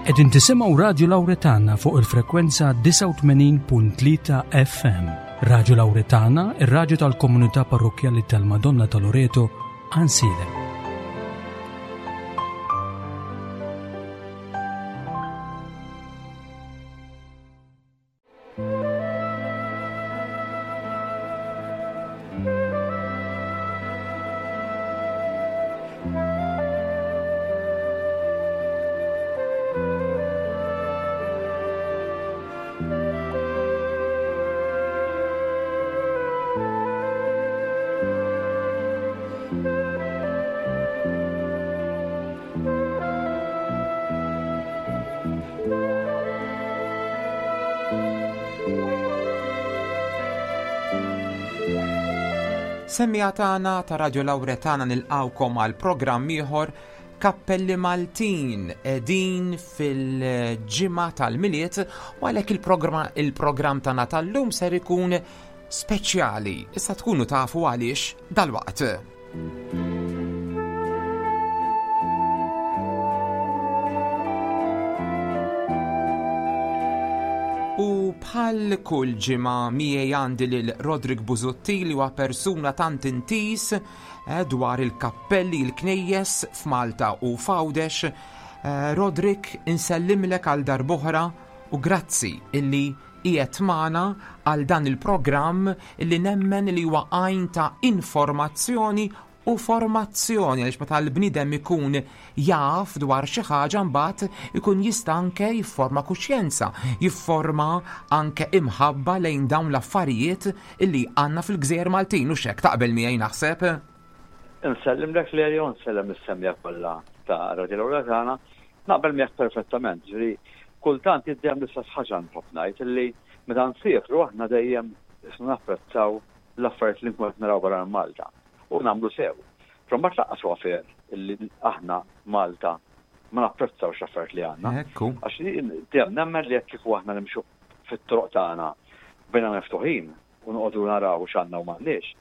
Qegħdin tisimgħu Radju Lawretana fuq il-frekwenza 89.3 FM. Radju Lawretana, ir-radju tal-komunità parrokkjali tal-Madonna ta' Loreto, Ansilem. Semmiegħa tagħna ta' Radio Lawretana nilqgħukom għal programm ieħor Kappelli Maltin qegħdin fil-ġimgħa tal-Milied u għalhekk il-programm tagħna tal-lum ser ikun speċjali. Issa tkunu tafu għaliex dalwaqt. U bħal kull ġimgħa miegħi għandi lil Roderick Busuttil li huwa persuna tant intis eh, dwar il-kappelli il-knejjes f'Malta u f'Għawdex. Eh, Roderick, insellimlek għal darb'oħra u grazzi illi qiegħed magħna għal dan il-programm li nemmen li huwa għajn ta' informazzjoni u formazzjoni għaliex meta l-bniedem ikun jaf dwar xi ħaġa mbagħad ikun jista' anke jifforma kuxjenza, jifforma anke imħabba lejn dawn l-affarijiet illi għandna fil-Gżejjer Maltin u x'hekk taqbel miegħi naħseb. Insellimlek Lelio, nsellem is-semja kollha ta' Radio Lawra tagħna. Naqbel miegħek perfettament, ġifieri kultant jien dejjem l-istess ħaġa nħobb ngħid illi meta nsiefru aħna dejjem isna napprezzaw l-affarijiet li nkunu qed naraw barra minn Malta. U nagħmlu sew. Però mbagħad lanqas huwa fair illi aħna Malta ma napprezzawx l-affarijiet li għandna. Ekku. Għax jien dejjem nemmen li jekk kieku aħna nimxu fit-toroq tagħna b'għajnejna miftuħin u noqogħdu naraw x'għandna u m'għandniex,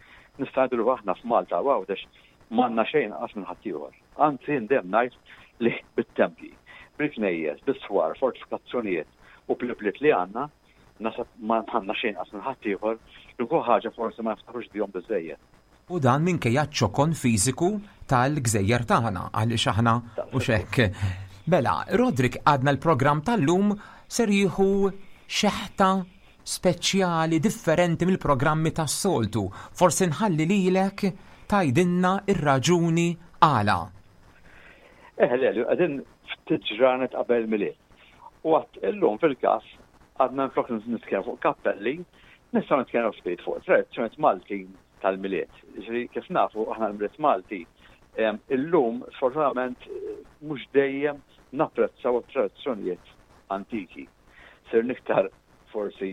nista' ngħidu li aħna f'Malta u Għawdex m'għandna xejn inqas minn ħaddieħor. Anzi jien dejjem ngħid li bit-tempji, bil-knejjes, bis-swar, fortifikazzjonijiet u bl-ibliet li għandna, naħseb ma għandna xejn inqas minn ħaddieħor, l-unika ħaġa forsi ma niftaħrux bihom biżżejjed. U dan minkejja ċ-ċokon fiżiku tal-gżejjer tagħna, għaliex aħna hux hekk. Mela, Roderick għadna l-programm tal-lum ser jieħu xeħta speċjali differenti mill-programmi tas-soltu. Forsi nħalli lilek tgħidilna r-raġuni għala. Eh, le, qegħdin ftit ġranet qabel Milied. U għat illum fil-każ għadna nflok nitkellmu fuq kappelli, nistgħu nitkellmu ftit fuq tradizzjonijiet Maltin tal-Milied. Ġifieri kif nafu aħna l-Milied Malti illum sfortunatament mhux dejjem napprezzaw it-tradizzjonijiet antiki. Sirna iktar forsi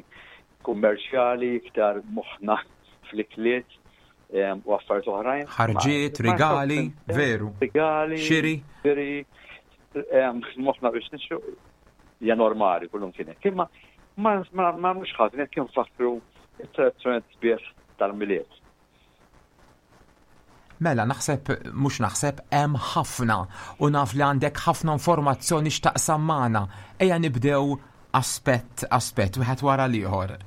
kummerċjali, iktar moħħna fl-ikliet u affarijiet oħrajn. Ħarġiet, rigali, veru. Rigali. Xiri. Xiri. Moħħna biex nixtru hija normali kullum kien hekk. Imma ma nagħmlux ħażin jekk infakkru t-tradizzjoni sbieħ tal-Milied. Mela, naħseb, mhux naħseb, hemm ħafna u naf li għandek ħafna informazzjoni x'taqsam magħna. Ejja nibdew aspett aspett, wieħed wara l-ieħor.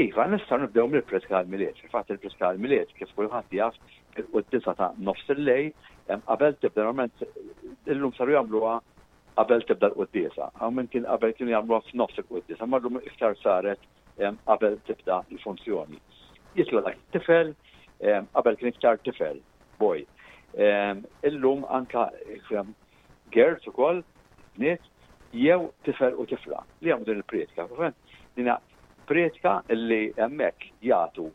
Iva, nistgħu nibdew mill-Priedka għall-Milied. Fil-fatt il-Priedka għall-Milied, kif kulħadd jaf, il-quddiesa ta' nofs il-lejl, qabel tibda normalment illum saru jagħmluha qabel tibda l-quddiesa. Hawn min kien qabel kienu jagħmluha f'nofs il-quddiesa, imma llum iktar saret qabel tibda l-funzjoni. Jitla' dak it-tifel, qabel kien iktar tifel, boy. Illum anka girls ukoll, bniet, jew tifel u tifla li jagħmlu din il-prietka. Dina prietka li hemmhekk jagħtu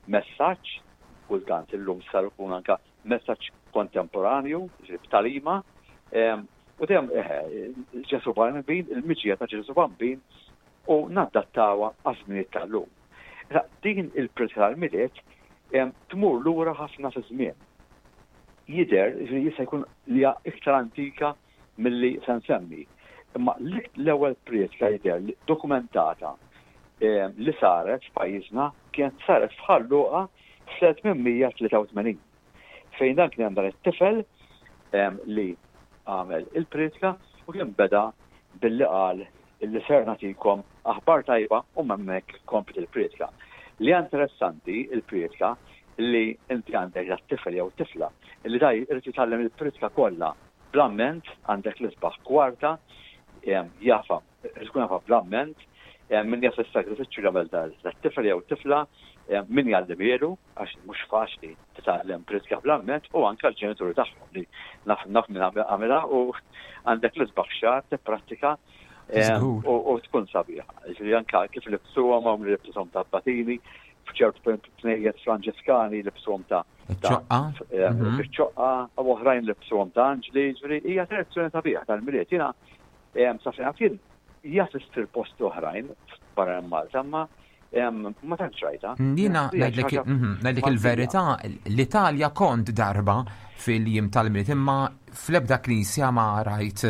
messaġġ, kultant illum sar ikun anka messaġġ kontemporanju, b'talima, u dejjem Ġesu Bambin, il-miġja ta' Ġesu Bambin u nadattawha għaż-żminijiet tal-lum. Din il-prietka tal-Milied tmur lura ħafna fiż-żmien. Jidher li jista' jkun li hija iktar antika milli se nsemmi. Imma l-ewwel prietka jidher li dokumentata li saret f'pajjiżna kienet saret f'Ħal Luqa fl-1883. Fejn dan kien hemm dan it-tifel li għamel il-prietka. U kien beda billi qal illi ser nagħtikom aħbar tajba u hemmhekk kompliet il-prietka. Li hija interessanti il-prietka li inti għandek dat tifel jew tifla li da jrid jitgħallem il-prietka kollha bl-amment, għandek l-isbaħ kwarta, jafa, tkun jafa bl-amment, min jaf is-sagrifiċċju li għamel dat-tifel jew tifla, min jgħallimielu, għax mhux faċli titgħallem pritka bl-amment u anke l-ġenituri tagħhom li naf naf min għamilha u għandek l-isbaħ xahar tipprattika u tkun sabiħa. Ġifieri anke kif libsuhom hawn li libsuhom ta' batini, f'ċertu knejjes Franġiskani libsuhom ta' ċoqqa. Mhm. Ċoqqa u oħrajn libsuhom ta' anġli, ġifieri hija tradizzjoni sabiħa tal-Milied. Jiena sa fejn jien jaf issir posti oħrajn barra Malta, ma Ma tantx rajta. Jiena ngħidlek mhm, ngħidlek il-verità, l-Italja kont darba fil-jiem tal-Milied imma fl-ebda knisja ma rajt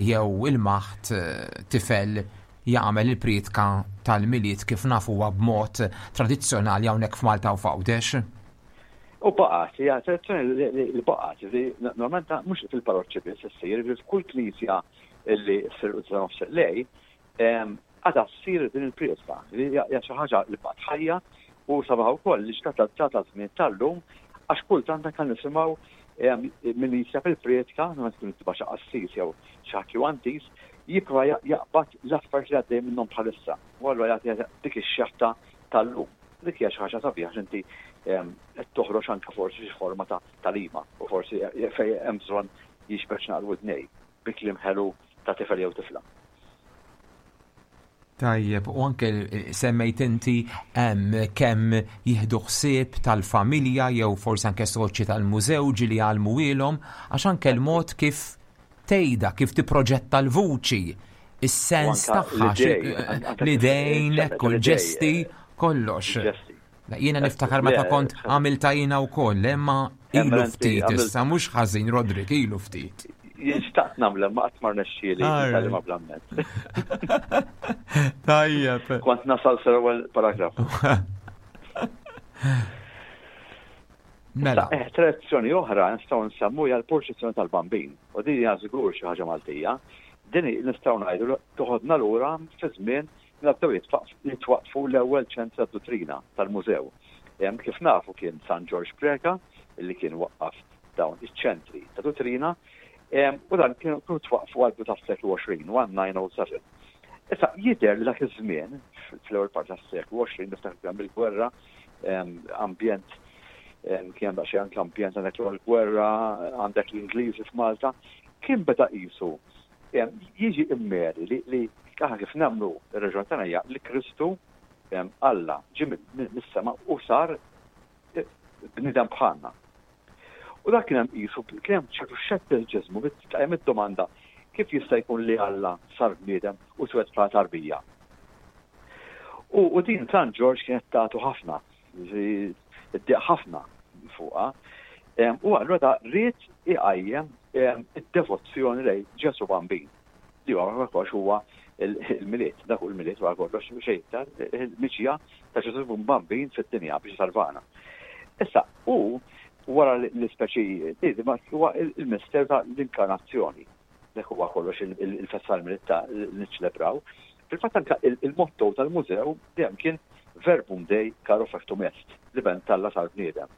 jew il-maħt eh, tifel jagħmel il-prietka tal-Milied kif nafuha b'mod tradizzjonali hawnhekk f'Malta u f'Għawdex. U baqgħet, hija tradizzjoni li baqgħet, li normalment mhux fil-parroċċi biss issir, f'kull knisja li ssir u nofs lej, Għadha ssir din il-prieska, li hija xi ħaġa li baqgħet ħajja u sabiħa wkoll li ġiet adattata għaż-żmien tal-lum għax kultant anke nisimgħu min jikteb il-prietka, meta tkun tibgħat xi qassis jew xi ħadd li huwa intiż, jipprova jaqbad l-affarijiet li għaddejjin minnhom bħalissa u allura jagħti dik ix-xeħta tal-lum. Dik hija xi ħaġa sabiħa għax inti qed toħroġ anke forsi xi forma ta' tagħlima u forsi fejn hemm bżonn jiġbed xi naqra widnej bi kliem ħelu ta' tifel jew tifla. Tajjeb, u anke semmejt inti kemm jieħdu ħsieb tal-familja jew forsi anke soċji tal-mużew ġieli jgħallmuhielhom, għax anke l-mod kif tgħidha, kif tipproġetta l-vuċi, is-sens tagħha, l-idejn, ekku l-ġesti, kollox. Jiena niftakar meta kont għamilta jiena wkoll, imma ilu ftit issa mhux ħażin Rodrik ilu ftit. Jien xtaqt nagħmel ma qatt ma rnexxieli nitgħallimha bl-amment. Tajjeb. Kont nasal sal-ewwel paragraf. Mela. Eh, tradizzjoni oħra nistgħu nsemmu hija l-purċissjoni tal-Bambin. U din hija żgur xi ħaġa Maltija. Din nistgħu ngħidu toħodna lura fi żmien Mela bdew jitwaqqfu l-ewwel ċentri tad-duttrina tal-mużew. Kif nafu kien San Ġorġ Preca li kien waqqaf dawn iċ-ċentri ta' duttrina u dan kienu twaqqfu għall-bidu tas-seklu 20, 1907. Issa jidher li dak iż-żmien, fl-ewwel parti tas-seklu 20, niftakar kien hemm il-gwerra, ambjent kien hemm daqsxejn anke ambjent għandek l-gwerra, għandek l-Ingliżi f'Malta, kien beda qisu Jiġi immeri li li aħna kif nemmnu r-raġuni tagħna hija li Kristu Alla ġie mis-sema u sar bniedem bħalna. U dak kien hemm qisu kien hemm ċertu xettiċiżmu tqajjem id-domanda kif jista' jkun li Alla sar bniedem u twieled bħala tarbija. U, u din San Ġorġ kienet tagħtu ħafna Id-dieq ħafna fuqha. U allura da ried iqajjem id-devozzjoni lejn Ġesù Bambin. Li huwa kollox huwa il-Milied, dak hu l-Milied wara kollox xejn iktar il-miġja ta' Ġesù Bambin fid-dinja biex isalvana. Issa, hu wara l-ispeċi huwa il-misteru ta' l-inkarnazzjoni. Dak huwa kollox il-festa tal-Milied ta' li niċċelebraw. Fil-fatt anke il-motto tal-mużew dejjem kien Verbum Dei caro factum est, l-Iben t'Alla sar bniedem.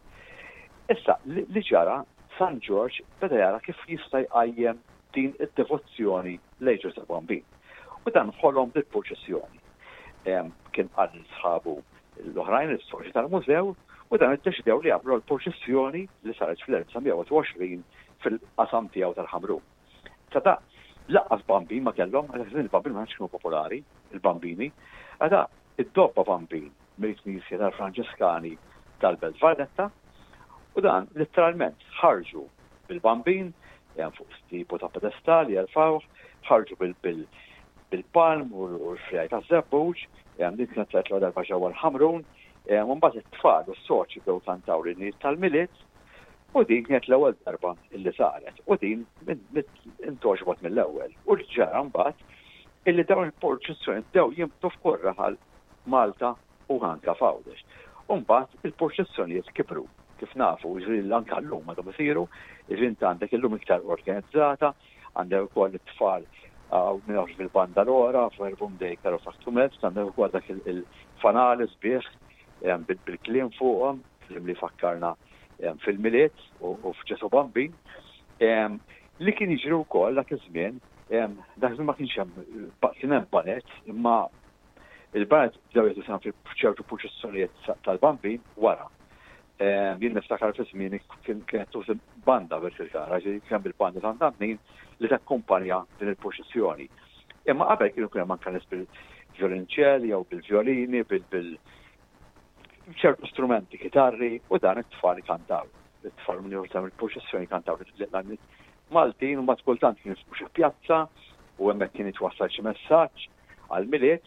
Issa, li ġara, San Ġorġ beda jara kif jista' jqajjem din id-devozzjoni lejn Ġużè Bambin. U dan ħolom bil-purċissjoni. Kien qal lil sħabu l-oħrajn, is-soċji tal-mużew, u dan iddeċidew li jagħmlu l-purċissjoni li saret fl-1921 fil-qasam tiegħu tal-Ħamrun. Sa da, laqqas bambin ma kellhom, għax żmien il-bambin ma kienu popolari, il-bambini. Għada, id-dobba bambin mill-Knisja tal-Franġiskani tal-Belt Valletta u dan letteralment ħarġu bil-bambin fuq tipu ta' pedestal jerfawh, ħarġu bil-palm u l-frijaj ta' żebbuġ, din kienet saret l-ewwel darba ġewwa l-Ħamrun, u mbagħad it-tfal u s-soċi bdew kantaw l-innijiet tal-Milied U din kienet l-ewwel darba illi saret u din intgħoġbot mill-ewwel. U ġara mbagħad illi dawn il-purċissjoni bdew jinbtu f'kull raħal Malta u anke f'Għawdex. U mbagħad il-purċissjonijiet kibru, kif nafu, jiġifieri anke llum għadhom isiru, jiġifieri int għandek illum iktar organizzata. Għandek ukoll it-tfal minn hawnx bil-banda l-ora, Verbum Dei Caro Factum Est, għandek ukoll dak il-fanali sbieħ bil-kliem fuqhom, kliem li fakkarna fil-Milied u f'Ġesù Bambin. Li kien jiġri wkoll dak iż-żmien, dak iż-żmien ma kienx hemm kien hemm baned, imma il-baned bdew jieħdu sehem f'ċertu purċissjonijiet tal-Bambin wara. Jien niftakar fi żmieni kienet tużi banda Birkirkara, ġifieri kien hemm il-banda Sant Antnin li takkumpanja din il-purċissjoni. Imma qabel kienu kien hemm anke nies bil-vjolinċell jew bil-vjolini, bil ċertu strumenti, kitarri u dan it-tfal ikantaw. It-tfal minn jieħdu il-purċissjoni kantaw l-għanniet Maltin u mbagħad kultant kien xi pjazza u hemmhekk kien jitwassal xi messaġġ għall-Milied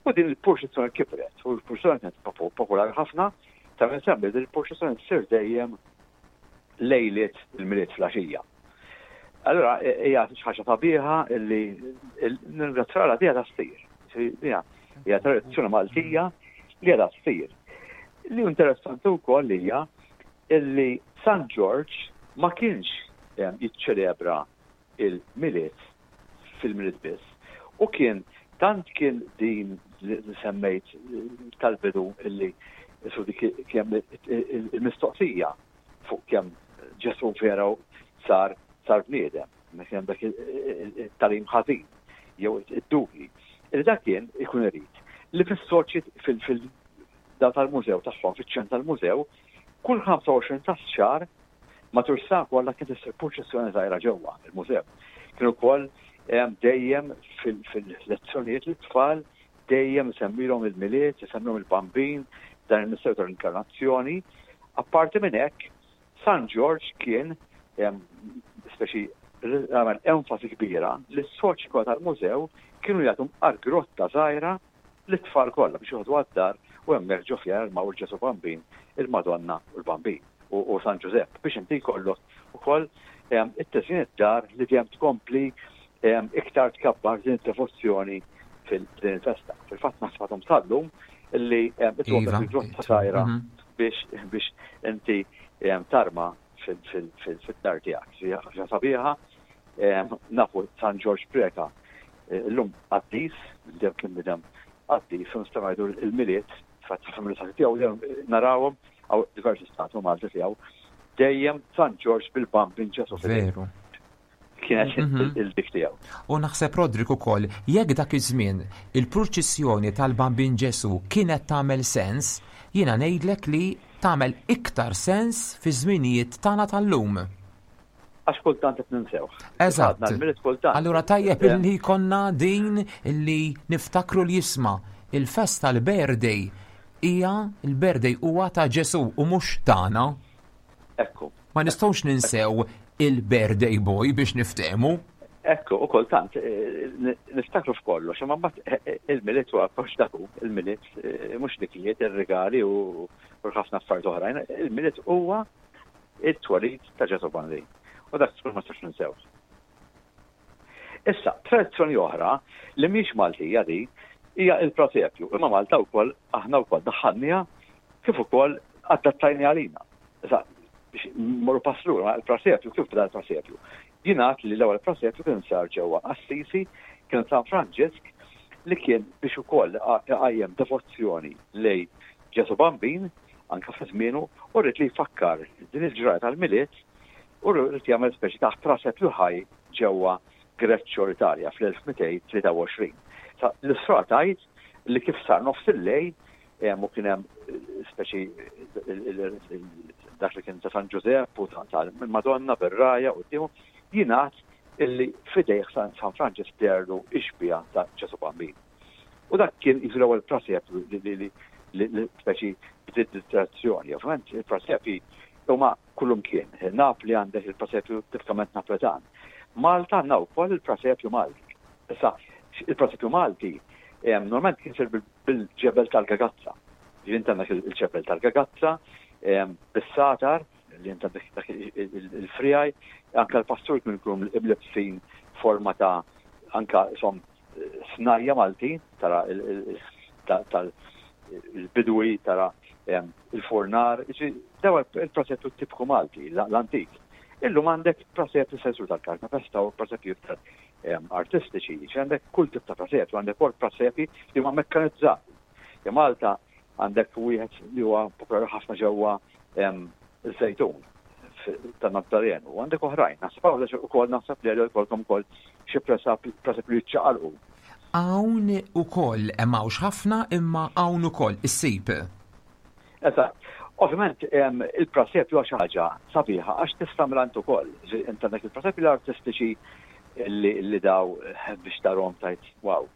u din il-purċissjoni kibret u l-purċissjoni kienet popolari ħafna ta' minn semmi din il-purċissjoni ssir dejjem lejliet il-Milied fl-għaxija. Allura hija xi ħaġa sabiħa illi nirringrazzja Alla diha ssir. Hija tradizzjoni Maltija li għadha ssir. Li interessanti wkoll hija illi San Ġorġ ma kienx jiċċelebra il-Milied fil-Milied biss. U kien tant kien din li semmejt tal-bidu illi su dik kemm il-mistoqsija fuq kemm Ġesù vera sar sar bniedem, kien dak it-tagħlim ħażin jew id-dubji. Illi dak kien ikun irid li fis-soċi fil-da tal-mużew tagħhom, fiċ-ċentru tal-mużew, kull 25 ta' xahar Matul is-sena kollha kienet issir purċissjoni żgħira ġewwa il-mużew. Kien ukoll dejjem fil-lezzjonijiet lit-tfal dejjem isemmilhom il-Milied, isemmilhom il-Bambin, dan il-misteru tal-Inkarnazzjoni. Apparti minn hekk, San Ġorġ kien speċi għamel enfasi kbira li s-soċi kollha tal-mużew kienu jagħtu mqar grotta żgħira lit-tfal kollha biex joħdu għad-dar u hemmhekk ġo fiha jarmaw il-Ġesù Bambin, il-Madonna u l-Bambin u San Ġużepp biex inti jkollok ukoll it-tiżjin id-dar li dejjem tkompli iktar tkabbar din id-devozzjoni fil-din il-festa. Fil-fatt naħseb għadhom sal-lum li itwok iva. il-grotta żgħira mhm. biex biex inti tarma fil-dar tiegħek. Ħaġa sabiħa, nafu San Ġorġ Preka Illum qaddis, dejjem kien bidem qaddis, u nistgħu ngħidu l-Milied, fatt ħafna tiegħu dejjem narawhom għaw diversi statwi Malti tiegħu, dejjem San Ġorġ bil-Bambin Ġesu. Veru. Kienet mhm. il-dik tiegħu. U naħseb Rodrik ukoll, jekk dak iż-żmien il-purċissjoni tal-Bambin Ġesu kienet tagħmel sens, jiena ngħidlek li tagħmel iktar sens fi żminijiet tagħna tal-lum. Għax kultant qed ninsewh. Eżatt. Allura tajjeb illi konna din illi niftakru li jisma' il-festa l-birthday hija l-birthday huwa ta' Ġesu u mhux tagħna. Ekku. Ma nistgħux ninsew il-birthday boy biex niftehmu. Ekku, u kultant eh, niftakru f'kollox, imma mbagħad eh, eh, il-miliet huwa kollox dak il-miliet mhux dikliet, ir-rigali u ħafna affarijiet oħrajn, il-miliet huwa it-twelid ta' Ġesù Bambin. U dak żgur ma nistax ninsewh. Issa, tradizzjoni oħra li mhix Maltija di hija il-prasepju, imma Malta wkoll aħna wkoll daħħalniha kif ukoll adattajni għalina. Issa, biex mmorru pass lura, il-prasepju kif beda l-prasepju? Jingħad li l-ewwel prasepju kien sar ġewwa Assisi, kien San Franġisk li kien biex ukoll iqajjem devozzjoni lej Ġesù Bambin anke fi żmienu, u ried li jfakkar din il-ġrajja tal-Milied u ried jagħmel speċi ta' prasepju ħaj ġewwa Greccio l-Italja fl-1223. Sa l-istorja tgħid li kif sar nofs il-lejl u kien hemm speċi dak li kien ta' San Ġużepp u tal-Madonna bir-rajja quddiemu, jingħad illi f'idejh San Franġisk deherlu x-xbieha ta' Ġesù Bambin. U dak kien jisu l-ewwel prasepju li li speċi bdiet tradizzjoni. Ovvjament il-prasepji huma kullum kien. Napli għandek il-prasepju tipikament Napletan. Malta għandna wkoll il-prasepju Malti. Issa, il-prasepju Malti normalment kien sir bil-ġebel tal-gagazza. Ġifieri għandek il-ġebel tal-gagazza, bis-satar, li inta dak il-frijaj, anka l-pastur kienu jkunu imlibsin forma ta' anka som snajja Maltin, tara Illum għandek prasepju sensur tal-karta festa u prasepju iktar artistiċi, ġifieri għandek kull tip ta' prasepju, għandek ukoll prasepji li huma mekkanizzati. Ja Malta għandek wieħed li huwa popolari ħafna ġewwa iż-Żejtun ta' Nazzarenu, u għandek oħrajn. Naħseb hawn ukoll naħseb li jkollkom ukoll xi presep li jiċċaqalqu. Hawn ukoll hemm hawnx ħafna imma hawn ukoll issib. Eżatt. Ovvjament il-prasepju huwa xi ħaġa sabiħa għax tista' tagħmilha int ukoll. Int għandek il-presepji l-artistiċi li daw biex tarhom tajt wow.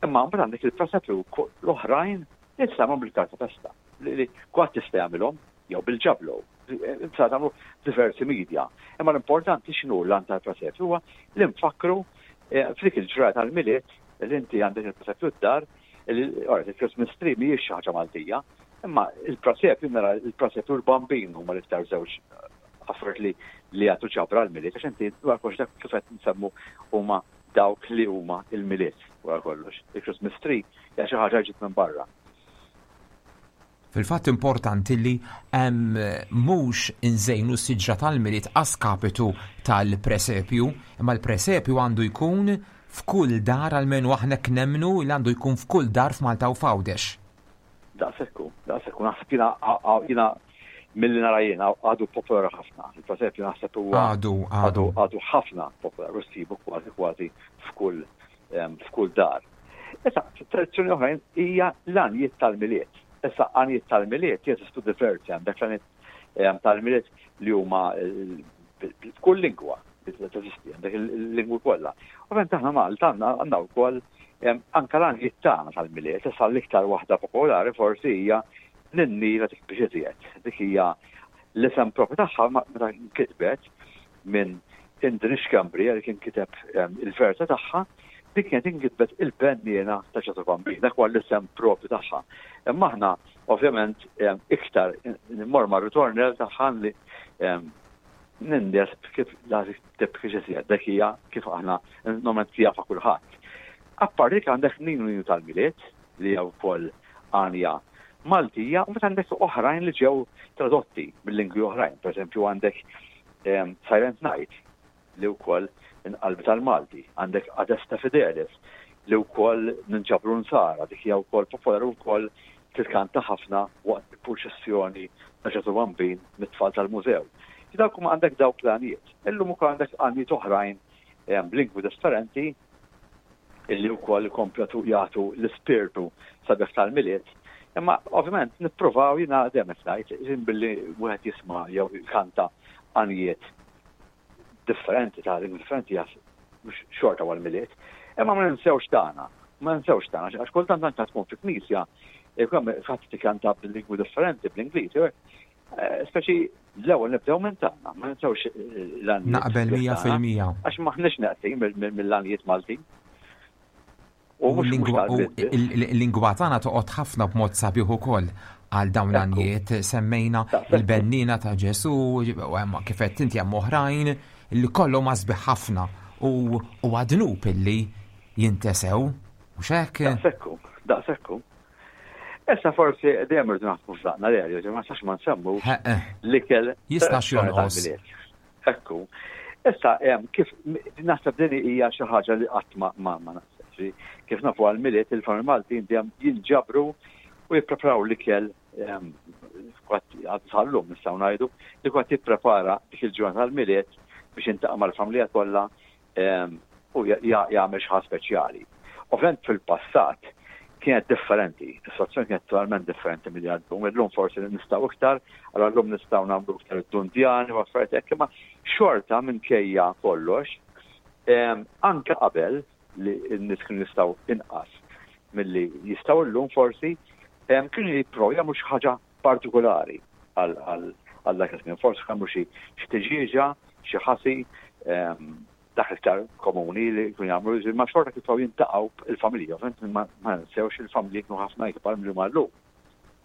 Imma mbagħad għandek il-presepju l-oħrajn li tista' tagħmilhom bil-karta festa. Li kulħadd jista' jagħmilhom jew bil-ġablo. Tista' tagħmlu diversi media. Imma l-importanti x'inhu l-għan tal-presepju huwa li nfakkru eh, f'dik il-ġraja tal-Milied li inti għandek il-presepju d-dar Il-Christmas tree mhijiex xi ħaġa Maltija, imma il-prasepju nara il-prasepju l-bambin huma l-iktar żewġ affarijiet li li jagħtu ġabra l-Milied għax inti wara kollox dak kif qed nsemmu huma dawk li huma il-Milied wara kollox. Il-Christmas tree hija xi ħaġa ġiet minn barra. Fil-fatt importanti li mhux inżejnu s-siġra tal-Milied a skapitu tal-presepju, imma l-presepju għandu jkun f'kull dar almenu aħna hekk nemmnu li għandu jkun f'kull dar f'Malta u f'Għawdex. Daqshekk hu, daqshekk hu. Naħseb jiena jiena milli nara jiena għadu popolari ħafna. Il-presepju naħseb huwa għadu għadu għadu ħafna popolari u ssibu kważi kważi f'kull f'kull dar. Issa, tradizzjoni oħrajn hija l-għanjiet tal-Milied. Issa, għanjiet tal-Milied jeżistu diversi, għandek l-għanjiet tal-Milied li huma f'kull lingwa teżisti, għandek il-lingwi kollha. Ovvjament aħna Malta għandna wkoll anka l-għanjiet tagħna tal-Milied, issa l-iktar waħda popolari forsi hija Ninni la tikbix iżjed. Dik hija l-isem propju tagħha meta nkitbet minn Indri Schembri li kien kiteb il-versa tagħha, dik kienet inkitbet il-benniena ta' Ġesù Bambin, dak huwa l-isem propju tagħha. Imma aħna ovvjament iktar immor ma' ritornell tagħha li nindes kif la tibki xi dak hija kif aħna normalment jafa kulħadd. Apparti dik għandek Ninu Ninu tal-Milied li hija wkoll għanja Maltija u mbagħad għandek oħrajn li ġew tradotti mill-lingwi oħrajn. Pereżempju għandek Silent Night li wkoll inqalbet għall-Malti, għandek Adesta Fidelis li wkoll ninġabru nsara, dik hija wkoll popolari wkoll titkanta ħafna waqt il-purċissjoni ta' Ġesù Bambin mit-tfal tal-mużew. Dawk huma għandek dawk l-għanijiet. Illum ukoll għandek għanijiet oħrajn b'lingwi differenti illi wkoll ikomplu jagħtu l-ispirtu sabiħ tal-Milied. Imma ovvjament nippruvaw jiena dejjem qed ngħid billi wieħed jisma' jew jkanta għanijiet differenti ta' lingwi differenti jas mhux xorta huwa l-Milied. Imma ma ninsewx tagħna, ma ninsewx tagħna għax kultant anke tkun fi knisja jkun hemm ħadd tikanta bil-lingwi differenti bl-Ingliż, eh, speċi l-ewwel nibdew minn tagħna, ma ninsewx eh, l-għanijiet. Naqbel 100%. Għax maħniex neqsin mill-għanijiet Maltin. U l-lingwa tagħna toqgħod ħafna b'mod sabiħ ukoll għal dawn l-għanijiet semmejna il-bennina ta' Ġesu, kif qed inti hemm oħrajn li kollhom sbieħ ħafna u għadnub illi jintesew. Mhux hekk? Daqsekku, daqsekku. Issa forsi dejjem irridu naħsbu f'daqna li għalli, ma sax ma nsemmu l-ikel. Jistax jonqos. Ekku. Issa kif naħseb din hija xi ħaġa li qatt ma ma naħseb. Kif nafu għall-Milied il-familji Maltin dejjem jinġabru u jippreparaw l-ikel sal-lum nistgħu ngħidu li kwatt jipprepara dik il-ġurnata tal-Milied biex jintaqa' mal-familja kollha u jagħmel xi ħaġa speċjali. Ovvjament fil-passat kienet differenti, is-sitwazzjoni kienet totalment differenti milli għal-lum. Illum forsi nistgħu iktar, allura llum nistgħu nagħmlu iktar id-dundjani u affarijiet hekk, imma xorta minkejja kollox, anke qabel li n-nies kienu jistgħu inqas milli jistgħu llum forsi, kienu jipprovaw jagħmlu xi ħaġa partikolari għal dak iż-żmien. Forsi għamlu xi tiġieġa, xi ħasi, ehm, dak iktar komuni li jkun jagħmlu, ma xorta kif jintaqgħu il-familja, ovvjament ma nsewx il-familji kienu ħafna ikbar milli huma llum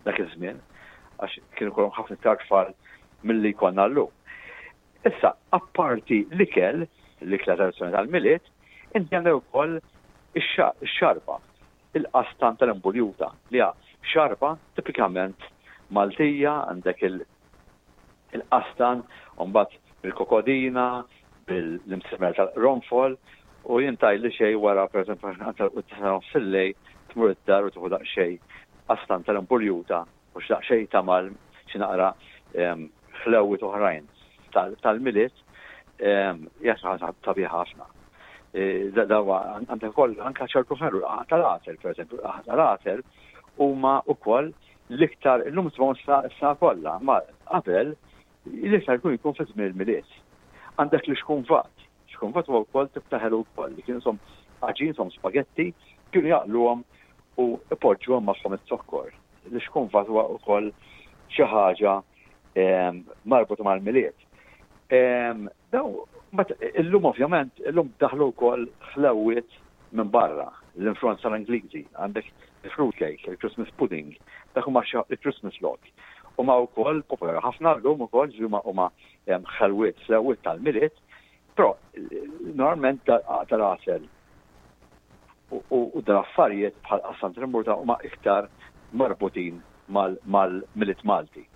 dak iż-żmien, għax kienu kollhom ħafna iktar tfal milli jkollna llum. Issa, apparti l-ikel, l-ikla tradizzjonali tal-Milied, inti għandek ukoll ix-xarba. Il-qastan tal-imbuljuta, li hija xarba tipikament Maltija, għandek il-qastan, u mbagħad bil-kokodina, bil-imsimer tal-qronfol u jien tgħidli xejn wara pereżempju tal-quddiesa ta' nofs il-lejl tmur id-dar u tieħu daqsxejn qastan tal-imbuljuta u xi daqsxejn tamal xi naqra ħlewwiet oħrajn tal-Milied hija xi ħaġa sabiħa ħafna. E, dawa għandek ukoll anke ċertu ħelu tal-għasel pereżempju, tal-għasel huma wkoll l-iktar illum tmur sa kollha, ma qabel l-iktar jkun jkun fi żmien il-Milied. Għandek li xkunvat, xkunvat huwa wkoll tip ta' ħelu wkoll li kienu som għaġin som spagetti kienu jaqluhom u ipoġġuhom magħhom iz-zokkor. Li xkunvat huwa wkoll xi ħaġa marbuta mal-Milied. Daw, illum ovvjament, illum daħlu wkoll ħlewwiet minn barra, l-influenza tal-Ingliżi, għandek il-fruit cake, il-Christmas pudding, dak huma il-Christmas log. Huma wkoll popolari ħafna llum ukoll huma huma ħelwiet, ħlewwiet tal-Milied, però normalment tal-għasel u dal-affarijiet bħal qasam tal-imburta huma iktar marbutin mal-Milied Malti.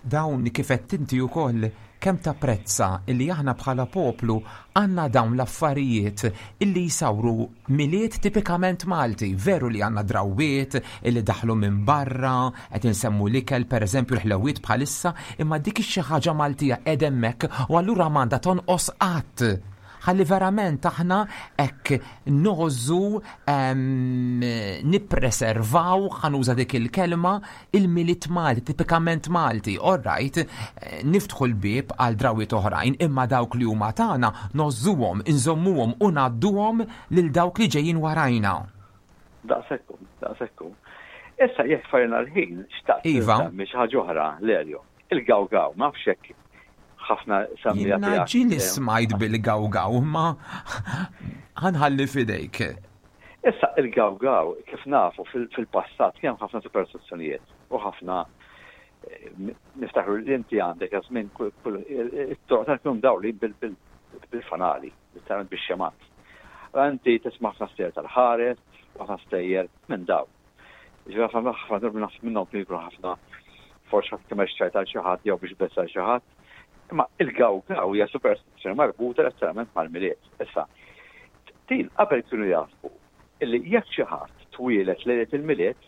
Dawn kif għedt inti ukoll kemm tapprezza illi aħna bħala poplu għandna dawn l-affarijiet illi jsawru Milied tipikament Malti. Veru li għandna drawwiet illi daħlu minn barra, qed insemmu l-ikel pereżempju l-ħlewwiet bħalissa, imma dik ix-xi ħaġa Maltija qiegħda hemmhekk u allura m'għandha tonqos qatt. Ħalli verament aħna hekk ngħożżu nippreservaw, ħa nuża dik il-kelma, il-Milied Malti, tipikament Malti. All right, niftħu l-bieb għal drawwiet oħrajn, imma dawk li huma tagħna ngħożżuhom, inżommuhom u ngħadduhom lil dawk li ġejjin warajna. Daqshekk hu, daqshekk hu. Issa jekk farina l-ħin, xtaqt iva. nsemmi xi ħaġa oħra, Lelio. Il-gawgaw, ma nafx hekk ħafna semmija Jiena ġieli smajt bil-gawgaw, imma ħanħalli f'idejk. Issa il-gawgaw, kif nafu fil-passat kien hemm ħafna superstizzjonijiet u ħafna eh, niftakru li inti għandek żmien it-toroq ta' kienu mdawlin bil-fanali, letteralment bix-xemat. Inti tisma' ħafna stejjer tal-ħares u ħafna stejjer minn daw. Ġifieri ħafna ħafna drabi naħseb minnhom kienu jkunu ħafna forsi ħadd kemm xċajt għal xi ħadd jew biex beża' xi ħadd. Imma il-gawgaw hija superstizzjoni marbuta letteralment mal-Milied. Issa, din qabel kienu jaħsbu illi jekk xi ħadd twieled lejlet il-Milied,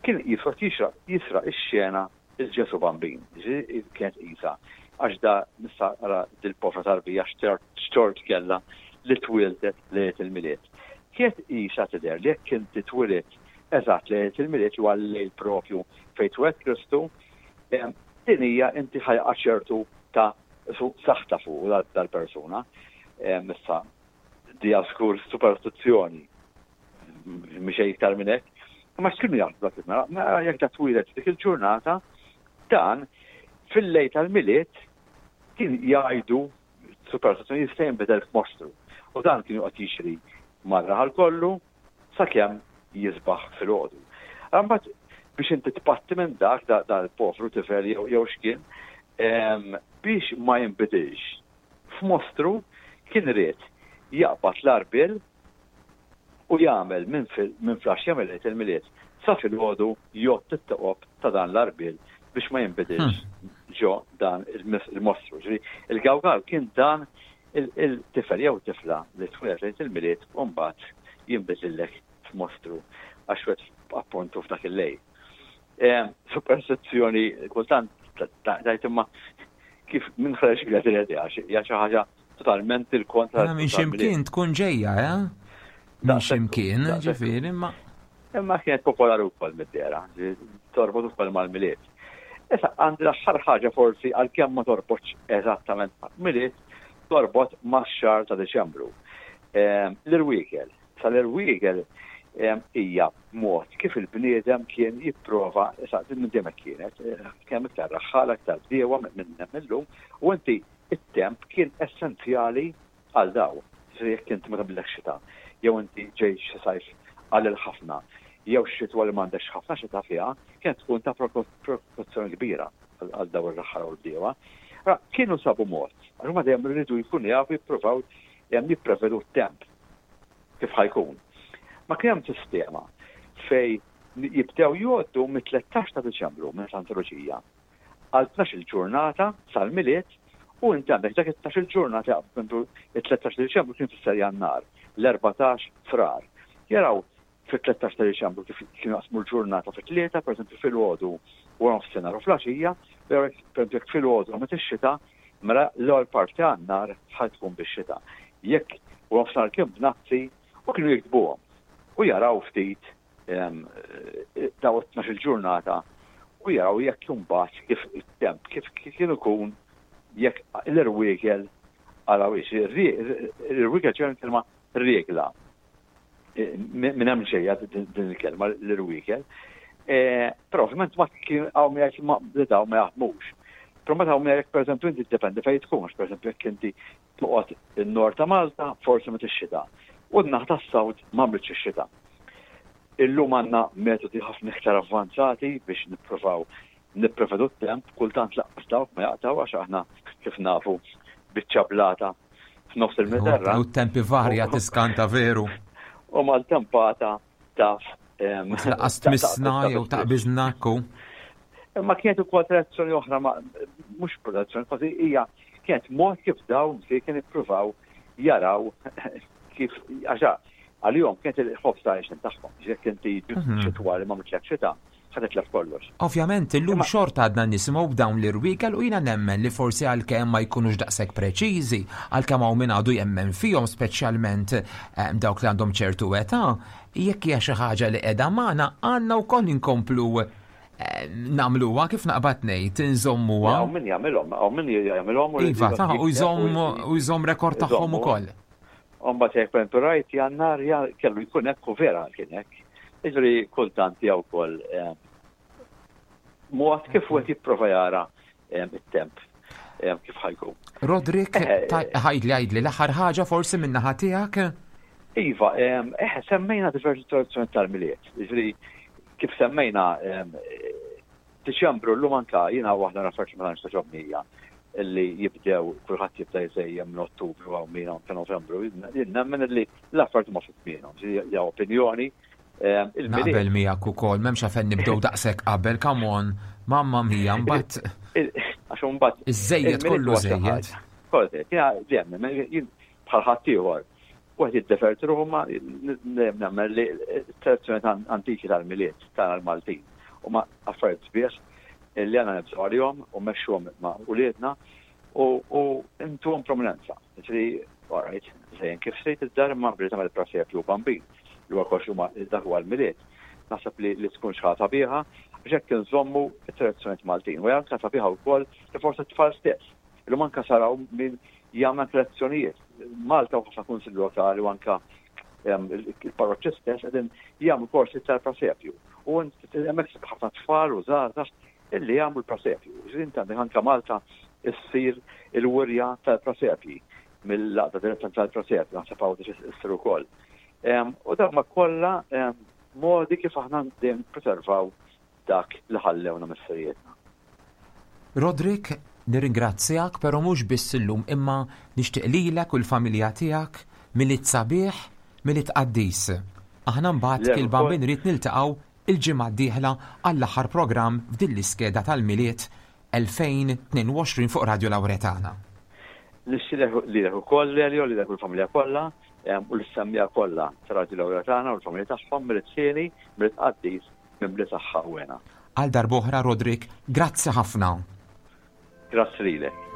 kien jifrot jisraq ix-xena il-Ġesu Bambin, kienet qisha, għax da nista' ara dil-povra tarbija x'tort kellha li twieldet lejlet il-Milied. Kienet qisha tidher li jekk inti twilidt eżatt lejlet il-Milied li huwa l-lejl propju fejn twieled Kristu, din hija inti ħa jaqa' ċertu ta' saħta fuq dal-persuna. Issa dija żgur superstizzjoni. Mhix xejn iktar minn hekk. Imma x'kienu jaħsbu dak il-mara? Mela jekk da twieled dik il-ġurnata, dan fil-lejl tal-Milied kien jgħidu superstizzjoni jista' jinbidel f'mostru. U dan kien joqgħod jixri mar-raħal kollu sakemm jisbaħ filgħodu. Imbagħad biex inti tpatti minn dak da l-povru tifel jew x'kien, biex ma jinbidilx f'mostru kien ried jaqbad l-għarbiel u jagħmel minn minn flaxxa jagħmel il-Milied sa filgħodu jgħodd it-toqob ta' dan l-għarbiel biex ma jinbidilx ġo dan il-mostru. Ġifieri il-gawgaw kien dan il-tifel jew tifla li twieled lejlet il-Milied u mbagħad jinbidlillek f'mostru għax wet appuntu f'dak il-lejl. Superstizzjoni kultant tgħid imma kif minn ħreġ biha din l-idea hija xi ħaġa totalment il-kontra. Mela minn ximkien tkun ġejja, eh? Minn ximkien, ġifieri, imma. Imma kienet popolari wkoll mid-dera, torbot ukoll mal-Milied. Issa għandi l-aħħar ħaġa forsi għalkemm ma torbotx eżattament mal-Milied, torbot max-xahar ta' Diċembru. Ehm, l-irwiekel. Sal-irwiekel ehm, hija mod kif il-bniedem kien jipprova, issa din minn dejjem kienet, eh, kemm iktar raħħala, iktar bdiewa minn illum, u inti it-temp kien essenzjali għal daw. Ġifieri jekk inti ma tagħmillekx xita, jew inti ġej xi sajf qalil ħafna, jew xitwa li m'għandekx ħafna xita fiha, kienet tkun ta' preokkupazzjoni kbira għal daw ir-raħħala u l-bdiewa. Kienu sabu mod, għax huma dejjem rridu jkunu jafu jippruvaw jipprevedu t-temp kif ħa jkun. Ma kien hemm sistema fej jibdew jgħoddu mit-13 ta' Diċembru minn Santa Luċija. għal 12 ġurnata sal-Milied u inti għandek dak it-12 ġurnata jaqbdu it-13 Diċembru kien fisser Jannar, l-14 Frar. Jaraw fit-13 ta' Diċembru kif kienu jaqsmu l-ġurnata fi tlieta, pereżempju filgħodu wara nofsinhar u flaxija, però pereżempju jekk filgħodu għamlet ix-xita, mela l-ewwel parti ta' nhar ħa tkun bix-xita. Jekk wara nofsinhar kien bnazzi u kienu jiktbuhom u jaraw ftit daw it-12 il-ġurnata u jaraw jekk imbagħad kif it-temp kif kien ikun jekk l-irwiekel għarawiex. L-irwiekel ġejja kelma regla. Minn hemm ġejja din il-kelma l-irwiekel. E, però ovvjament ma kien hawn jgħid li dawn ma jaħdmux. Però meta hawn jgħid pereżempju inti ddependi fejn tkun, għax pereżempju jekk inti toqgħod in-nord ta' Malta, forsi ma tixxita. U n-naħa tas-South ma għamlitx ix-xita. Illum għandna metodi ħafna iktar avvanzati biex nippruvaw nipprevedu t-temp, kultant laqqas dawk ma jaqtaw għax aħna kif nafu biċċa blata f'nofs il-Mediterran. U t-tempi varja tiskanta veru. U mal-tempata taf. Laqqas tmissna jew taqbiżna ku. Imma kienet ukoll tradizzjoni oħra ma mhux tradizzjoni, kważi hija kienet mod kif dawn se kien ippruvaw jaraw kif għaxa għalihom kienet il-ħobż ta' għexin tagħhom. Jekk inti mhm. xitwa li ma mitlek xita, ħa titlef kollox. Ovvjament illum xorta għadna nisimgħu b'dawn l-irwiekel u jiena nemmen li forsi għalkemm ma jkunux daqshekk preċiżi, għalkemm hawn min għadu jemmen fihom speċjalment eh, dawk li għandhom ċertu età, jekk hija xi ħaġa li qiegħda magħna għandna wkoll inkomplu eh, nagħmluha kif naqbad ngħid inżommuha. Hawn min jagħmilhom, hawn min jagħmilhom Iva, ta' u jżomm u jżomm rekord tagħhom ukoll. U mbagħad jekk pereżempju rajt Jannar kellu jkun hekk u vera kien hekk. Jiġifieri kultant hija wkoll eh, mod kif wieħed jipprova jara eh, it-temp eh, kif ħajkun. Rodrik, ħajdli għajdli l-aħħar ħaġa forsi minn naħa tiegħek? Iva, eh, semmejna diversi tradizzjoni tal-miliet. Jiġifieri kif semmejna Diċembru llum anka jiena waħda l-affarijiet li ma tantx togħġobni hija li jibdew kulħadd jibda jżejjen minn Ottubru hawn min anke Novembru. Jien nemmen li l-affarijiet huma fi żmienhom, hija opinjoni. Ehm, Naqbel miegħek ukoll, m'hemmx għalfejn nibdew daqshekk qabel, come on, mamma mia, mbagħad. Għax imbagħad. Iż-żejjed kollu żejjed. Kollu, jiena bħal ħaddieħor Wieħed jiddeverti ruħu ma nemmen li t-tradizzjoni antiki tal-Milied tagħna l-Maltin huma affarijiet sbieħ li għandna nibżgħu għalihom u mmexxuhom ma' uliedna u ntuhom prominenza. Ġifieri, all right, żejjen kif trid id-dar imma billi tagħmel presepju u bambin li huwa kollox huma dak huwa l-Milied. Naħseb li li tkun xi ħaġa sabiħa biex hekk inżommu t-tradizzjonijiet Maltin. U hija anke sabiħa wkoll li forsi t-tfal stess. Illum anke saraw min jagħmel anke lezzjonijiet. Malta u ħafna kunsilli lokali u anke il-parroċċi stess qegħdin jagħmlu korsi tal-prasepju. U hemmhekk issib ħafna tfal u żgħażagħ illi jagħmlu l-prasepju. Ġifieri inti għandek anke Malta issir il-wirja tal-prasepji mill-għaqda direzzjoni tal-prasepju, naħseb Għawdex issir ukoll. U dawn ma kollha modi kif aħna dejjem preservaw dak li ħallewna missirijietna. Roderick, nirringrazzjak però mhux biss illum imma nixtieq lilek u l-familja tiegħek Milied sabiħ, Milied qaddis. Aħna mbagħad il-Bambin ried niltaqgħu il-ġimgħa d-dieħla għall-aħħar programm f'din l-iskeda tal-Milied 2022 fuq Radio Lauretana. Nixtieq lilek ukoll Lelio, lilek u l-familja kollha u lis-semmiegħa kollha ta' Radio Lauretana u l-familja tagħhom Milied hieni, Milied qaddis mimli saħħa u hena. Għal darb'oħra Roderick, grazzi ħafna. Grazzi lilek.